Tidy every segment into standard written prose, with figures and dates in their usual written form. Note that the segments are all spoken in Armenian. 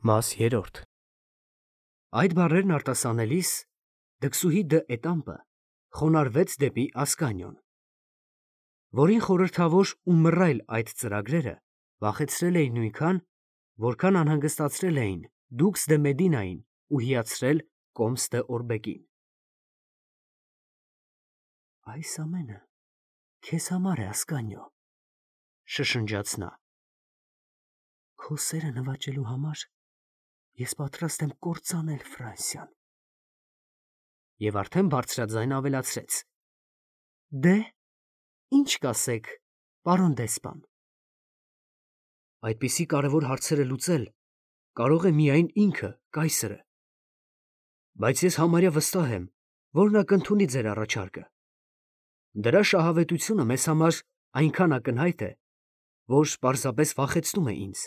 Մաս 3 Այդ բառերն արտասանելիս դքսուհի դը էտամպը խոնարհվեց դեպի Ասկանիոն, որին խորհրդավոր ու մռայլ այդ ծրագրերը վախեցրել էին նույնքան, որքան անհանգստացրել էին Դուքս դե Մեդինային ու հիացրել Կոմս դե Օրբեկին։ Այս ամենը քեզ համար է, Ասկանիո, շշնջաց նա։ Քո սերը նվաճելու համար ես պատրաստ եմ կործանել Ֆրանսիան։ Եվ արդեն բարձրաձայն ավելացրեց. Դե, ինչ կասեք, պարոն դեսպան։ Այդպիսի կարևոր հարցերը լուծել կարող է միայն ինքը, կայսրը։ Բայց ես համարյա վստահ եմ, որ նա կընդունի ձեր առաջարկը։ Դրա շահավետությունը մեզ համար այնքան ակնհայտ է, որ պարզապես վախեցնում է ինձ։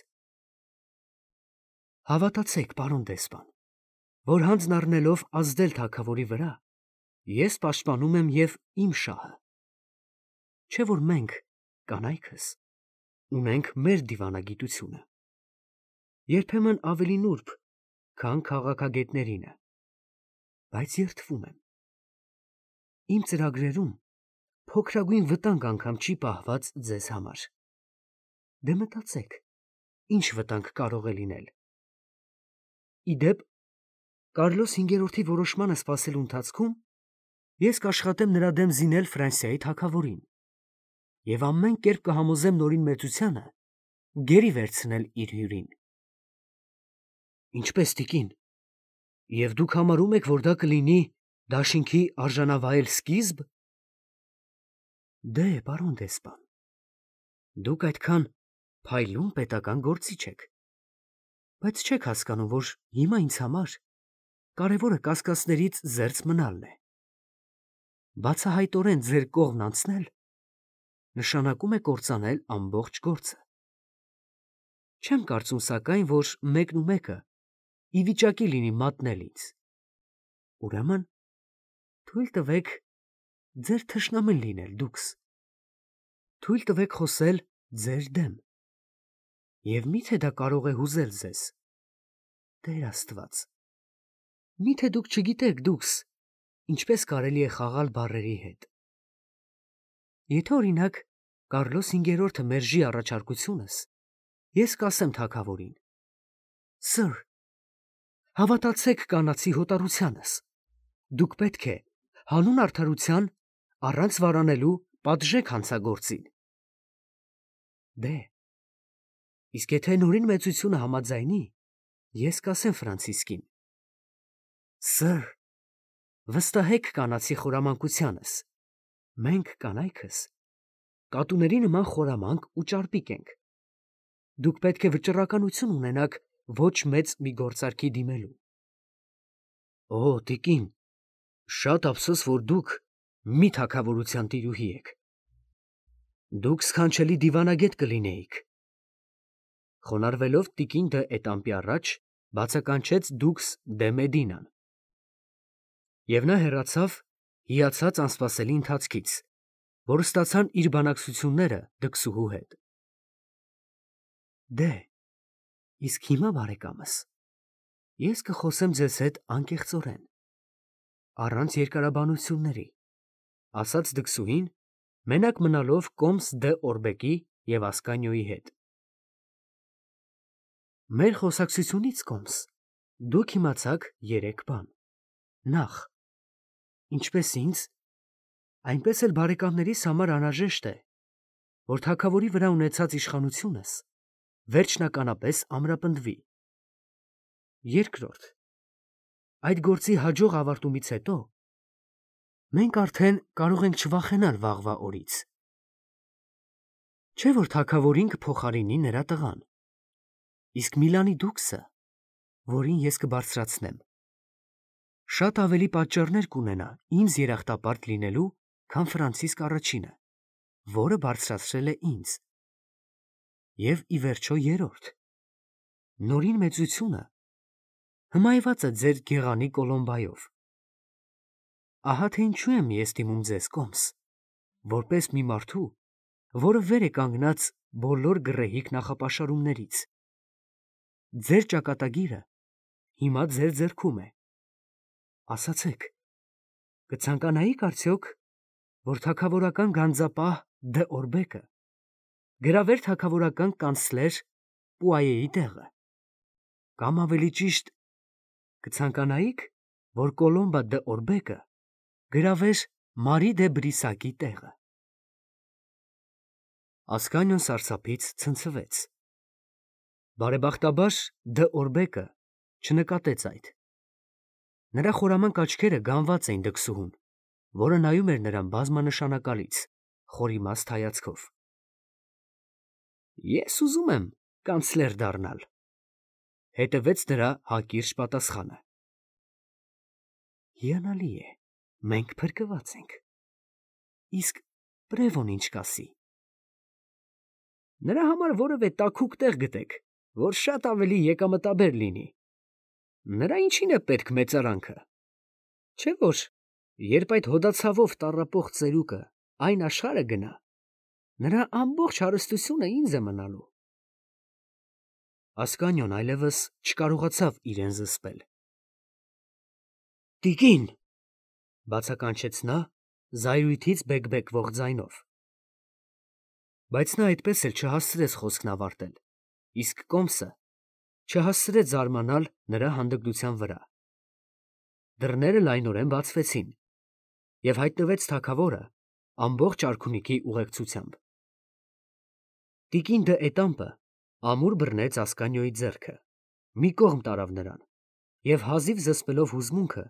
Հավատացեք, պարոն դեսպան, որ հանձն առնելով ազդել թագավորի վրա, ես պաշտպանում եմ և իմ շահը։ Չէ՞ որ մենք, կանայքս, ունենք մեր դիվանագիտությունը, երբեմն ավելի նուրբ, քան քաղաքագետներինը, բայց երդվում եմ։ Իմ ծրագրերում փոքրագույն վտանգ անգամ չի պահված ձեզ համար։ Դե մտածեք, ինչ վտանգ կարող է լինել։ Ի դեպ, Կարլոս հինգերորդի որոշմանը սպասելու ընթացքում ես կաշխատեմ նրա դեմ զինել Ֆրանսիայի թագավորին և ամեն կերպ կհամոզեմ նորին մեծությանը գերի վերցնել իր հյուրին։ Ինչպես, տիկին, և դուք համարում եք, որ դա կլինի դաշինքի արժանավայել սկիզբ։ Դե, պարոն դեսպան, դուք այդքան փայլուն պետական գործիչ եք, բայց չեք հասկանում, որ հիմա ինձ համար կարևորը կասկածներից զերծ մնալն է։ Բացահայտորեն ձեր կողմն անցնել նշանակում է կործանել ամբողջ գործը։ Չեմ կարծում, սակայն, որ մեկնումեկը ի վիճակի լինի մատնել ինձ։ Ուրեմն թույլ տվեք ձեր թշնամին լինել, Դուքս։ Թույլ տվեք խոսել ձեր դեմ։ Եվ մի՞թե դա կարող է հուզել ձեզ։ Տեր Աստված, մի՞թե դուք չգիտեք, Դուքս, ինչպես կարելի է խաղալ բառերի հետ։ Եթե, օրինակ, Կարլոս հինգերորդը մերժի առաջարկությունս, ես կասեմ թագավորին. Սըր, հավատացեք կանացի հոտառությանս։ Դուք պետք է հանուն արդարության առանց վարանելու պատժեք հանցագործին։ Դե, իսկ եթե նորին մեծությունը համաձայնի, ես կասեմ Ֆրանցիսկին. Սըր, վստահեք կանացի խորամանկությանս։ Մենք, կանայքս, կատուների նման խորամանկ ու ճարպիկ ենք։ Դուք պետք է վճռականություն ունենաք ոչ մեծ մի գործարքի դիմելու։ Օ, տիկին, շատ ափսոս, որ դուք մի թագավորության տիրուհի եք։ Դուք սքանչելի դիվանագետ կլինեիք։ Խոնարհվելով տիկին դը Էտամպի առաջ բացականչեց Դուքս դե Մեդինան։ Եվ նա հեռացավ հիացած անսպասելի ընթացքից, որ ստացան իր բանակցությունները դքսուհու հետ։ Դե, իսկ հիմա, բարեկամս, ես կխոսեմ ձեզ հետ անկեղծորեն, առանց երկարաբանությունների, ասաց դքսուհին, մենակ մնալով Կոմս դե Օրբեկի և Ասկանիոյի հետ։ Մեր խոսակցությունից, Կոմս, դուք իմացաք երեք բան. Նախ, ինչպես ինձ, այնպես էլ բարեկամներիս համար անհրաժեշտ է, որ թագավորի վրա ունեցած իշխանությունս վերջնականապես ամրապնդվի։ Երկրորդ, այդ գործի հաջող ավարտումից հետո մենք արդեն կարող ենք չվախենալ վաղվա օրից։ Չէ՞ որ թագավորին կփոխարինի նրա տղան, իսկ Միլանի Դուքսը, որին ես կբարձրացնեմ, շատ ավելի պատճառներ կունենա ինձ երախտապարտ լինելու, քան Ֆրանցիսկ առաջինը, որը բարձրացրել է ինձ։ Եվ ի վերջո երրորդ, նորին մեծությունը հմայված է ձեր գեղանի Կոլոմբայով։ Ահա թե ինչու եմ ես դիմում ձեզ, Կոմս, որպես մի մարդու, որը վեր է կանգնած բոլոր գռեհիկ նախապաշարումներից։ ձեր ճակատագիրը հիմա ձեր ձեռքում է։ Ասացեք, կցանկանայիք արդյոք, որ թագավորական գանձապահ Դե Օրբեկը գրավեր թագավորական կանցլեր Պուայեի տեղը, կամ ավելի ճիշտ, կցանկանայիք, որ Կոլոմբա Դե Օրբեկը գրավեր Մարի դե Բրիսակի տեղը։ Ասկանյոն սարսափից ցնցվեց։ Բարեբախտաբար Դե Օրբեկը չնկատեց այդ։ Նրա խորամանկ աչքերը գանված էին դքսուհուն, որը նայում էր նրան բազմանշանակալից, խորիմաստ հայացքով։ Ես ուզում եմ կանցլեր դառնալ, հետևեց նրա հակիրճ պատասխանը։ Հիանալի է, մենք փրկված ենք։ Իսկ Պրևոն ինչ կասի։ Նրա համար որևէ տաքուկ տեղ գտեք, որ շատ ավելի եկամտաբեր լինի։ Նրա ինչին է պետք մեծարանքը։ Չէ՞ որ, երբ այդ հոդացավով տառապող ծերուկը այն աշխարհը գնա, նրա ամբողջ հարստությունը ինձ է մնալու։ Ասկանյոն այլևս չկարողացավ իրեն զսպել։ Տիկին, բացականչեց նա զայրույթից բեկբեկվող ձայնով։ Բայց նա այդպես էլ չհասցրեց խոսքն ավարտել, իսկ Կոմսը չհասցրեց զարմանալ նրա հանդգնության վրա։ Դռները լայնորեն բացվեցին, և հայտնվեց թագավորը ամբողջ արքունիքի ուղեկցությամբ։ Տիկին Դե Էտամպը ամուր բռնեց Ասկանյոյի ձեռքը, մի կողմ տարավ նրան և հազիվ զսպելով հուզմունքը,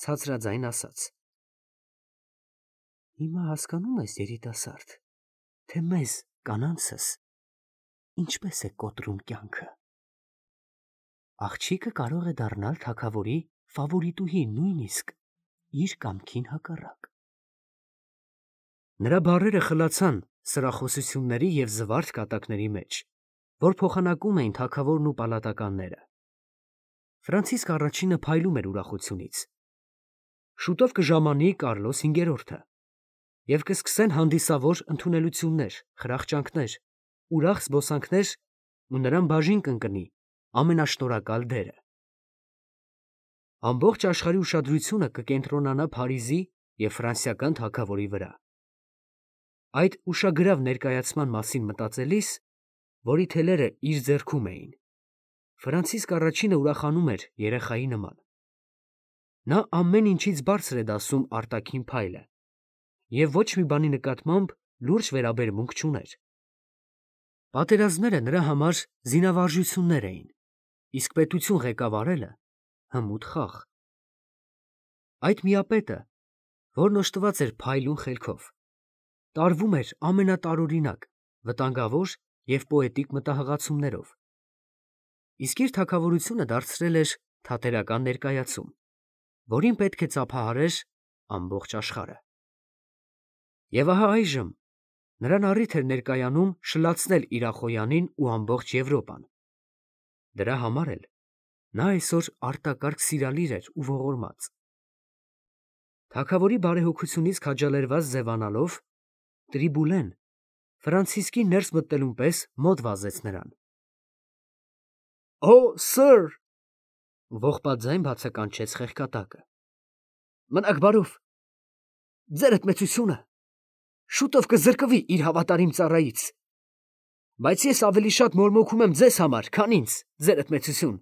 ցածրաձայն ասաց. Հիմա հասկանում ես, երիտասարդ, թե մեզ, կանանցս, ինչպես է կոտրում կյանքը։ Աղջիկը կարող է դառնալ թագավորի ֆավորիտուհի, նույնիսկ իր կամքին հակառակ։ Նրա բառերը խլացան սրախոսությունների և զվարթ կատակների մեջ, որ փոխանակում էին թագավորն ու պալատականները։ Ֆրանցիսկ առաջինը փայլում էր ուրախությունից։ Շուտով կժամանի Կարլոս V-րդը, և կսկսեն հանդիսավոր ընդունելություններ, խրախճանքներ, ուրախ զբոսանքներ, ու նրան բաժին կընկնի ամենաշնորհակալ դերը։ Ամբողջ աշխարհի ուշադրությունը կկենտրոնանա Փարիզի և ֆրանսիական թագավորի վրա։ Այդ ուշագրավ ներկայացման մասին մտածելիս, որի թելերը իր ձեռքում էին, Ֆրանցիսկ առաջինը ուրախանում էր երեխայի նման։ Նա ամեն ինչից բարձր է դասում արտաքին փայլը և ոչ մի բանի նկատմամբ լուրջ վերաբերմունք չուներ։ Պատերազմները նրա համար զինավարժություններ էին, իսկ պետություն ղեկավարելը հմուտ խաղ։ Այդ միապետը, որն օժտված էր փայլուն խելքով, տարվում էր ամենատարօրինակ, վտանգավոր և պոետիկ մտահղացումներով, իսկ իր թագավորությունը դարձրել էր թատերական ներկայացում, որին պետք է ծափահարեր ամբողջ աշխարհը։ Եվ ահա այժմ նրան առիթ էր ներկայանում շլացնել Իրախոյանին ու ամբողջ Եվրոպան։ Դրա համար էլ նա այսօր արտակարգ սիրալիր էր ու ողորմած։ Թագավորի բարեհոգությունից քաջալերված ձևանալով, Տրիբուլեն Ֆրանցիսկի ներս մտնելուն պես մոտ վազեց նրան։ Օ, սըր, ողբաձայն բացականչեց խեղկատակը։ Մնաք բարով, ձերդ մեծությունը շուտով կզրկվի իր հավատարիմ ծառայից, բայց ես ավելի շատ մորմոքում եմ ձեզ համար, քան ինձ, ձերդ մեծություն։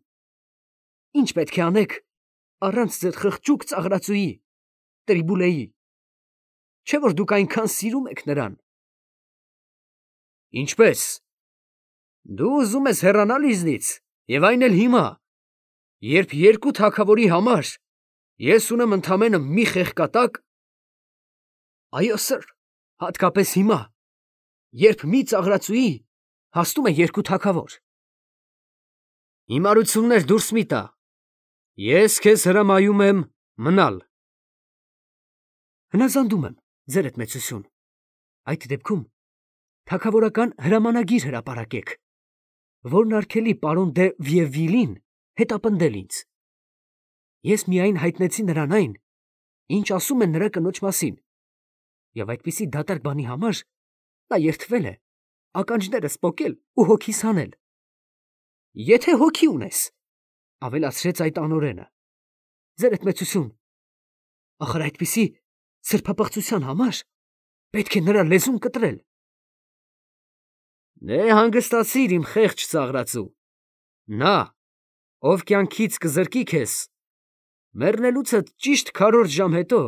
Ինչ պետք է անեք առանց ձեր խղճուկ ծաղրածուի, Տրիբուլեի, չէ՞ որ դուք այնքան սիրում եք նրան։ Ինչպե՞ս։ Դու ուզում ես հեռանալ ինձնից, և այն էլ հիմա, երբ երկու թագավորի համար ես ունեմ ընդամենը մի խեղկատակ։ Այո, սըր, հատկապես հիմա, երբ մի ծաղրածուի հասնում է երկու թագավոր։ Հիմարություններ դուրս մի տա։ Ես քեզ հրամայում եմ մնալ։ Հնազանդում եմ, ձերդ մեծություն։ Այդ դեպքում թագավորական հրամանագիր հրապարակեք, որն արգելի պարոն դե Վիևիլին հետապնդել ինձ։ Ես միայն հայտնեցի նրան այն, ինչ ասում են նրա կնոջ մասին, և այդպիսի դատարկ բանի համար նա երդվել է ականջներս պոկել ու հոգիս հանել։ Եթե հոգի ունես, ավելացրեց այդ անօրենը, ձերդ մեծություն, ախր այդպիսի սրբապղծության համար պետք է նրա լեզուն կտրել։ Դե հանգստացիր իմ խեղճ ծաղրածու, նա, ով կյանքից կզրկի քեզ, մեռնելուցդ ճիշտ 4 ժամ հետո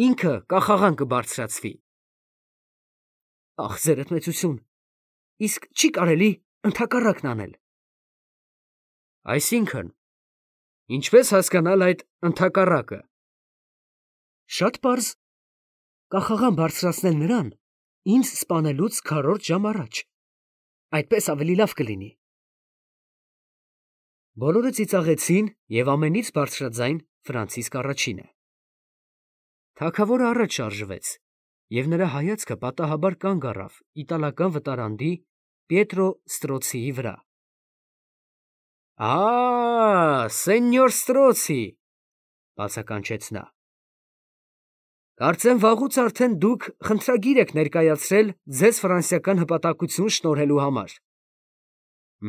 ինքը կախաղան կբարձրացվի։ Ախ, ձերդ մեծություն, իսկ չի կարելի ընդհակառակն անել։ Այսինքն, ինչպես հասկանալ այդ ընդհակառակը։ Շատ պարզ, կախաղան բարձրացնել նրան ինձ սպանելուց 4 ժամ առաջ, այդպես ավելի լավ կլինի։ Բոլորը ծիծաղեցին և ամենից բարձրաձայն Ֆրանցիսկ առաջինը։ Թագավորը առաջ շարժվեց, և նրա հայացքը պատահաբար կանգ առավ իտալական վտարանդի Պիետրո Ստրոցիի վրա։ Սենյոր Ստրոցի, բացականչեց նա։ Կարծեմ վաղուց արդեն դուք խնդրագիր եք ներկայացրել ձեզ ֆրանսիական հպատակություն շնորհելու համար։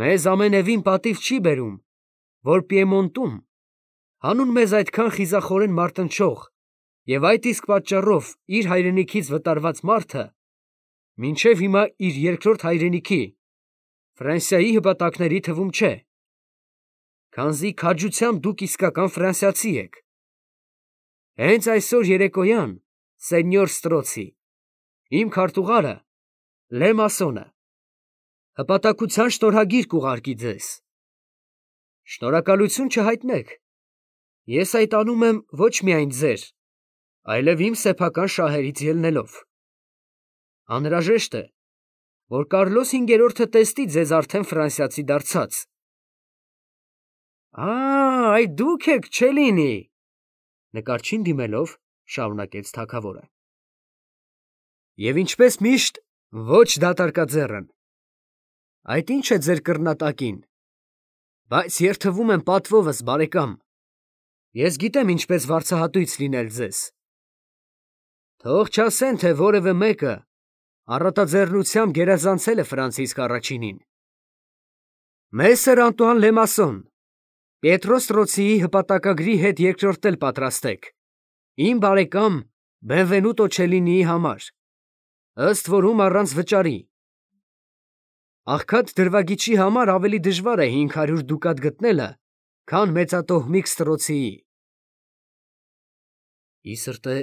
Մեզ ամենևին պատիվ չի բերում, որ Պիեմոնտում հանուն մեզ այդքան խիզախորեն մարտնչող և այդ իսկ պատճառով իր հայրենիքից վտարված մարդը մինչև հիմա իր երկրորդ հայրենիքի Ֆրանսիայի հպատակների թվում չէ, քանզի քաջությամբ դուք իսկական ֆրանսիացի եք։ Հենց այսօր երեկոյան, սենյոր Ստրոցի, իմ քարտուղարը Լե Մասոնը հպատակության շնորհագիր կուղարկի ձեզ։ Շնորհակալություն չհայտնեք, ես այդ անում եմ ոչ միայն ձեր, այլև իմ սեփական շահերից ելնելով։ Անհրաժեշտ է, որ Կարլոս 5-րդը տեսնի ձեզ արդեն ֆրանսիացի դարձած։ Այդ դուք եք, չէ՞ լինի, նկարչին դիմելով շարունակեց թագավորը։ Եվ ինչպես միշտ, ոչ դատարկաձեռն։ Այդ ի՞նչ է ձեր կռնատակին։ Բայց երթվում եմ պատվովս, բարեկամ։ Ես գիտեմ ինչպես վարձահատույց լինել ձեզ։ Թող չասեն, թե որևէ մեկը առատաձեռնությամբ գերազանցել է Ֆրանցիսկ առաջինին։ Մեսեր Անտուան Լե Մասոն, Պիետրո Ստրոցիի հպատակագրի հետ երկրորդել պատրաստեք, իմ բարեկամ Բենվենուտո Չելինիի համար, ըստ որում առանց վճարի։ Աղքատ դրվագիչի համար ավելի դժվար է 500 դուկատ գտնելը, քան մեծատոհմիկ Ստրոցիի։ Ի սրտե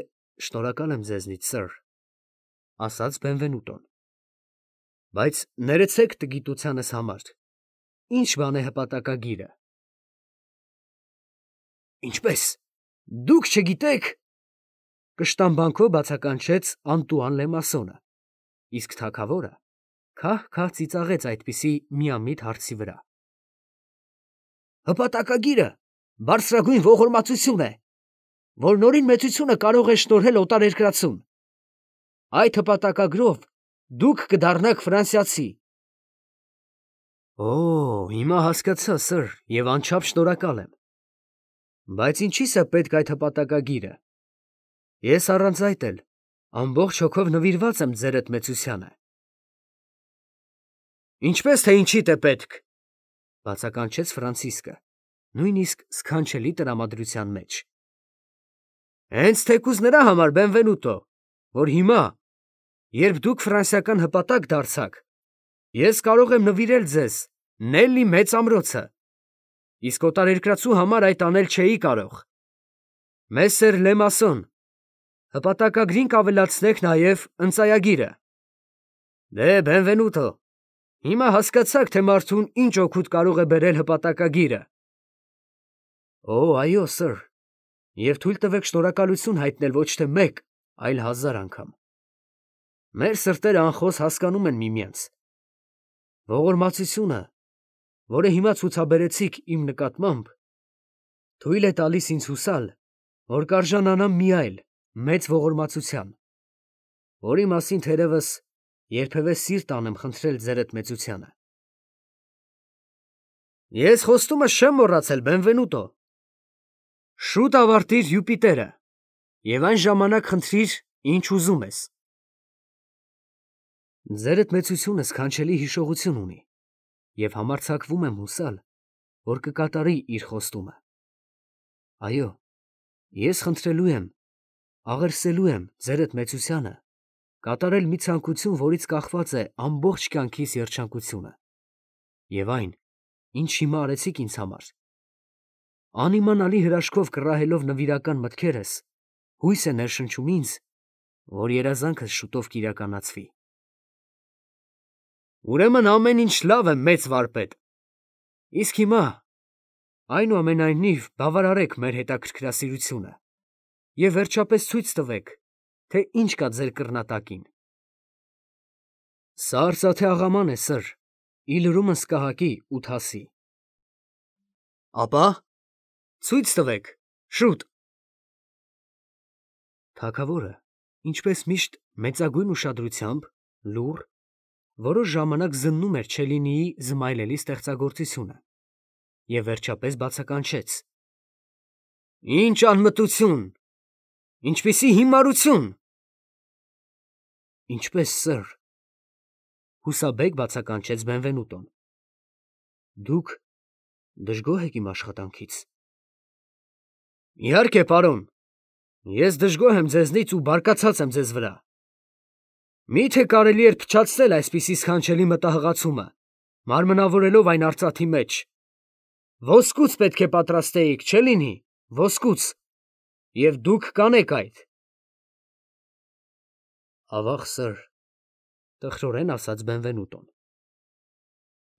շնորհակալ եմ ձեզնից, սըր, ասաց Բենվենուտոն։ Բայց ներեցեք տգիտությանս համար, ինչ բան է հպատակագիրը։ Ինչպես, դուք չգիտեք, կշտամբանքով բացականչեց Անտուան Լե Մասոնը, իսկ թագավորը քահ-քահ ծիծաղեց այդպիսի միամիտ հարցի վրա։ Հպատակագիրը բարձրագույն ողորմածություն է, որ նորին մեծությունը կարող է շնորհել օտարերկրացուն։ Այդ հպատակագրով դուք կդառնաք ֆրանսիացի։ Հիմա հասկացա, սըր, և անչափ շնորհակալ եմ։ Բայց ինչի՞ս է պետք այդ հպատակագիրը։ Ես առանց այդ էլ ամբողջ հոգով նվիրված եմ ձերդ մեծությանը։ Ինչպես թե ինչիդ է պետք, բացականչեց Ֆրանցիսկը, նույնիսկ սքանչելի տրամադրության մեջ։ Հենց թեկուզ նրա համար, Բենվենուտո, որ հիմա, երբ դուք ֆրանսիական հպատակ դարձաք, ես կարող եմ նվիրել ձեզ Նելլի մեծ ամրոցը, իսկ օտարերկրացու համար այդ անել չէի կարող։ Մեսեր Լե Մասոն, հպատակագրին կավելացնեք նաև ընծայագիրը։ Դե, Բենվենուտո, հիմա հասկացաք, թե մարդուն ինչ օգուտ կարող է բերել հպատակագիրը։ Այո, սըր, և թույլ տվեք շնորհակալություն հայտնել ոչ թե մեկ, այլ 1000 անգամ։ Մեր սրտերը անխոս հասկանում են միմյանց։ Ողորմածությունը, որը հիմա ցուցաբերեցիք իմ նկատմամբ, թույլ է տալիս ինձ հուսալ, որ կարժանանամ մի այլ մեծ ողորմածության, որի մասին թերևս երբևէ սիրտ անեմ խնդրել ձերդ մեծությանը։ Ես խոստումս չեմ մոռացել, Բենվենուտո։ Շուտ ավարտիր Յուպիտերը և այն ժամանակ խնդրիր, ինչ ուզում ես։ Ձերդ մեծությունը սքանչելի հիշողություն ունի և համարձակվում եմ հուսալ, որ կկատարի իր խոստումը։ Այո, ես խնդրելու եմ, աղերսելու եմ ձերդ մեծությանը, կատարել մի ցանկություն, որից կախված է ամբողջ կյանքիս երջանկությունը, և այն, ինչ հիմա արեցիք ինձ համար, անիմանալի հրաշքով կռահելով նվիրական մտքերս, հույս է ներշնչում ինձ, որ երազանքս շուտով կիրականացվի։ Ուրեմն ամեն ինչ լավ է, մեծ վարպետ, իսկ հիմա, այնուամենայնիվ, բավարարեք մեր հետաքրքրասիրությունը և վերջապես ցույց տվեք, թե ինչ կա ձեր կռնատակին։ Սա արծաթե աղաման է, սըր, ի լրումն Սկահակի ու Թասի։ Ապա ցույց տվեք, շուտ։ Թագավորը, ինչպես միշտ, մեծագույն ուշադրությամբ, լուռ, որոշ ժամանակ զննում էր Չելլինիի զմայլելի ստեղծագործությունը և վերջապես բացականչեց. Ինչ անմտություն, ինչպիսի հիմարություն։ Ինչպես, սըր, հուսաբեկ բացականչեց Բենվենուտոն։ Դուք դժգոհ եք իմ աշխատանքից։ Իհարկե, պարոն, ես դժգոհ եմ ձեզնից ու բարկացած եմ ձեզ վրա։ Մի՞թե կարելի էր փչացնել այսպիսի սքանչելի մտահղացումը, մարմնավորելով այն արծաթի մեջ։ Ոսկուց պետք է պատրաստեիք, Չելլինի, ոսկուց, և դուք կանեք այդ։ Ավաղ, սըր, տխրորեն ասաց Բենվենուտոն,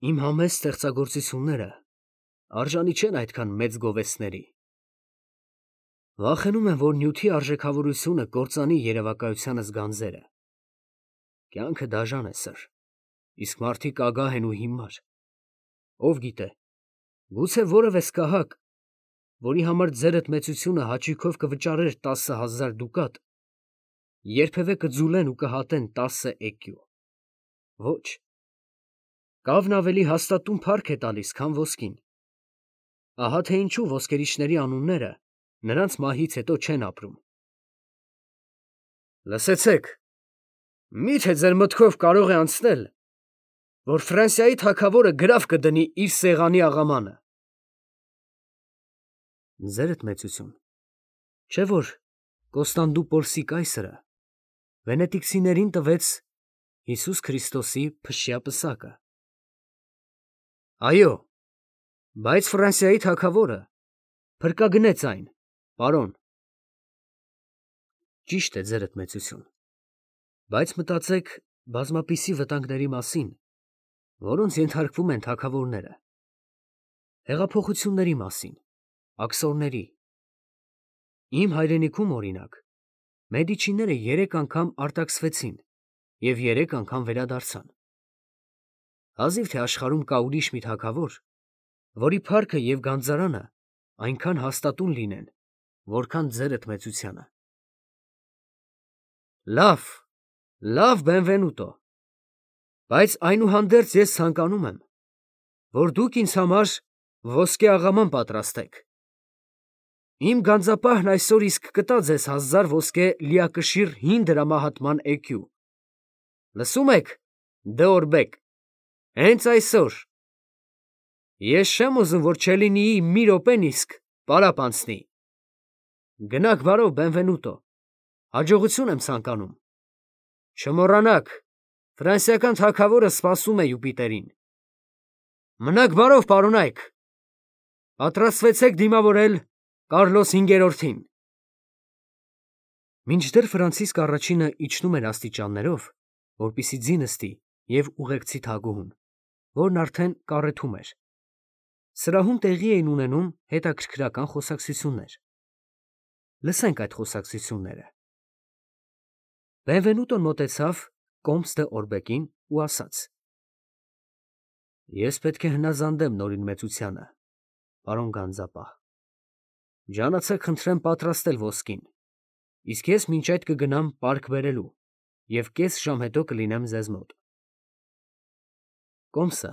իմ համեստ ստեղծագործությունները արժանի չեն այդքան մեծ գովեստների։ Վախենում եմ, որ նյութի արժեքավորությունը կործանի երևակայությանս գանձերը։ Կյանքը դաժան է, սըր, իսկ մարդիկ ագահ են ու հիմար։ Ով գիտե, գուցե որևէ սկահակ, որի համար ձերդ մեծությունը հաճույքով կվճարեր 10,000 դուկատ, երբևէ կձուլեն ու կհատեն 10 էկյու։ Ոչ, կավն ավելի հաստատուն փառք է տալիս, քան ոսկին։ Ահա թե ինչու ոսկերիչների անունները նրանց մահից հետո չեն ապրում։ Լսեցեք, մի՞թե ձեր մտքով կարող է անցնել, որ Ֆրանսիայի թագավորը գրավ կդնի իր սեղանի աղամանը։ Ձերդ մեծություն, չէ՞ որ Կոստանդնուպոլսի կայսրը վենետիկցիներին տվեց Հիսուս Քրիստոսի փշյա պսակը։ Այո, բայց Ֆրանսիայի թագավորը փրկագնեց այն, պարոն։ Ճիշտ է, ձերդ մեծություն, բայց մտածեք բազմապիսի վտանգների մասին, որոնց ենթարկվում են թագավորները, հեղափոխությունների մասին, աքսորների։ Իմ հայրենիքում, օրինակ, Մեդիչիները 3 անգամ արտաքսվեցին և 3 անգամ վերադարձան։ Հազիվ թե աշխարհում կա ուրիշ մի թագավոր, որի փառքը և գանձարանը այնքան հաստատուն լինեն, որքան ձերդ մեծությանը։ Լավ, լավ, Բենվենուտո, բայց այնուհանդերձ ես ցանկանում եմ, որ դուք ինձ համար ոսկե աղաման պատրաստեք։ Իմ գանձապահն այսօր իսկ կտա ձեզ 1000 ոսկե լիակշիռ հին դրամահատման էկյու։ Լսում եք, Դեորբեկ, հենց այսօր։ Ես չեմ ուզում, որ Չելլինիի մի րոպեն իսկ պարապ անցնի։ Գնաք բարով, Բենվենուտո, հաջողություն եմ ցանկանում։ Չմոռանաք, ֆրանսիական թագավորը սպասում է Յուպիտերին։ Մնաք բարով, պարոնայք։ Պատրաստվեցեք դիմավորել Կարլոս 5-րդին։ Մինչդեռ Ֆրանցիսկ առաջինը իջնում էր աստիճաններով, որպեսզի ձի նստի և ուղեկցի թագուհուն, որն արդեն կառեթում էր, սրահում տեղի էին ունենում հետաքրքրական խոսակցություններ։ Լսենք այդ խոսակցությունները։ Բենվենուտոն մոտեցավ կոմս դե Օրբեկին ու ասաց. Ես պետք է հնազանդեմ նորին մեծությանը, պարոն գանձապահ։ Ջանացեք խնդրեմ պատրաստել ոսկին, իսկ ես մինչ այդ կգնամ պարկ բերելու և կես ժամ հետո կլինեմ ձեզ մոտ։ Կոմսը,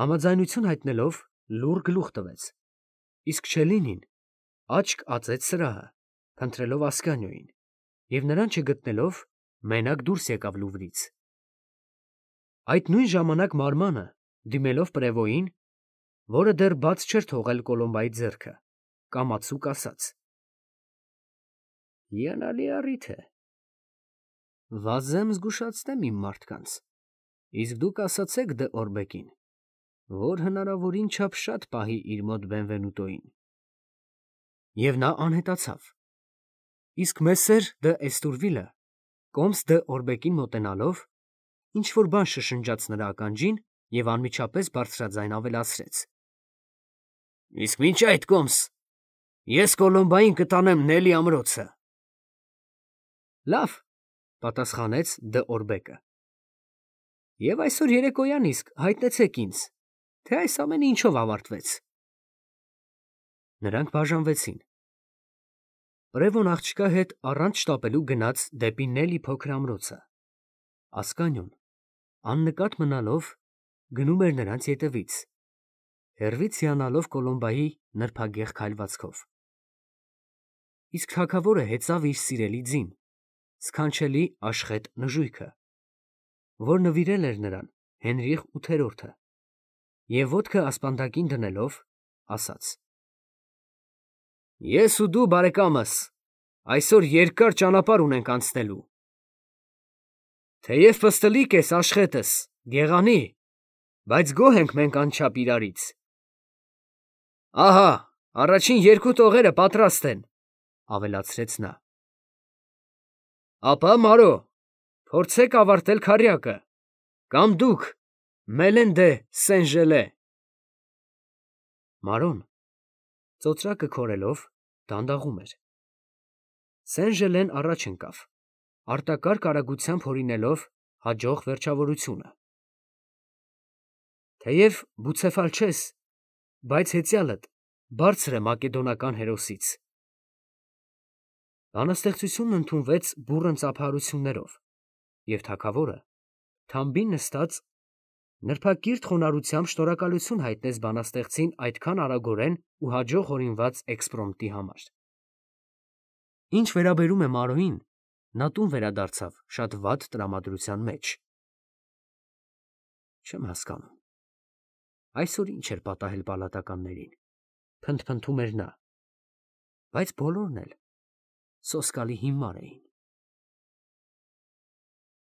համաձայնություն հայտնելով, լուռ գլուխ տվեց, իսկ Չելլինին աչք ածեց սրահը, փնտրելով Ասկանիոյին, և նրան չգտնելով, մենակ դուրս եկավ Լուվրից։ Այդ նույն ժամանակ մարմանը դիմելով Պրևոյին, որը դեռ բաց չէր թողել Կոլոմբայի ձեռքը, կամացուկ ասաց. Հիանալի առիթ է։ Վազեմ զգուշացնեմ իմ մարդկանց, իսկ դուք ասացեք դե Օրբեկին, որ հնարավորին չափ շատ պահի իր մոտ Բենվենուտոյին։ Եվ նա անհետացավ։ Իսկ Մեսսեր դը Էստուրվիլը, կոմս դը Օրբեկին մոտենալով, ինչ-որ բան շշնջաց նրա ականջին և անմիջապես բարձրաձայն ավելացրեց. Իսկ մինչ այդ, կոմս, ես Կոլոմբային կտանեմ Նելի ամրոցը։ Լավ, պատասխանեց դը Օրբեկը։ Եվ այսօր երեկոյան իսկ հայտնեցեք ինձ, թե այս ամենը ինչով ավարտվեց։ Նրանք բաժանվեցին։ Պրևոն աղջկա հետ առանց շտապելու գնաց դեպի Նելի փոքր ամրոցը։ Ասկանյոն, աննկատ մնալով, գնում էր նրանց ետևից, հեռվից հիանալով Կոլոմբայի նրբագեղ քայլվածքով։ Իսկ թագավորը հեծավ իր սիրելի ձին, սքանչելի աշխետ նժույգը, որ նվիրել էր նրան Հենրիխ ութերորդը, և ոտքը ասպանդակին դնելով, ասաց. Ես ու դու, բարեկամս, այսօր երկար ճանապարհ ունենք անցնելու։ Թեև պստլիկ ես աշխետս, գեղանի, բայց գոհ ենք մենք անչափ իրարից։ Ահա, առաջին երկու տողերը պատրաստ են, ավելացրեց նա։ Ապա, Մարո, փորձեք ավարտել քառյակը, կամ դուք, Մելեն դե Սեն֊Ժելե։ Մարոն, ծոծրակը քորելով, դանդաղում էր։ Սեն֊Ժելեն առաջ ընկավ, արտակարգ արագությամբ հորինելով հաջող վերջավորությունը։ Թեև Բուցեֆալ չես, բայց հեծյալդ բարձր է մակեդոնական հերոսից։ Բանաստեղծությունն ընդունվեց բուռն ծափահարություններով, և թագավորը, թամբին նստած, նրբակիրթ խոնարհությամբ շնորհակալություն հայտնեց բանաստեղծին այդքան արագորեն ու հաջող հորինված էքսպրոմտի համար։ Ինչ վերաբերում է Մարոյին, նա տուն վերադարձավ շատ վատ տրամադրության մեջ։ Չեմ հասկանում, այսօր ինչ էր պատահել պալատականներին, փնթփնթում էր նա, բայց բոլորն էլ սոսկալի հիմար էին։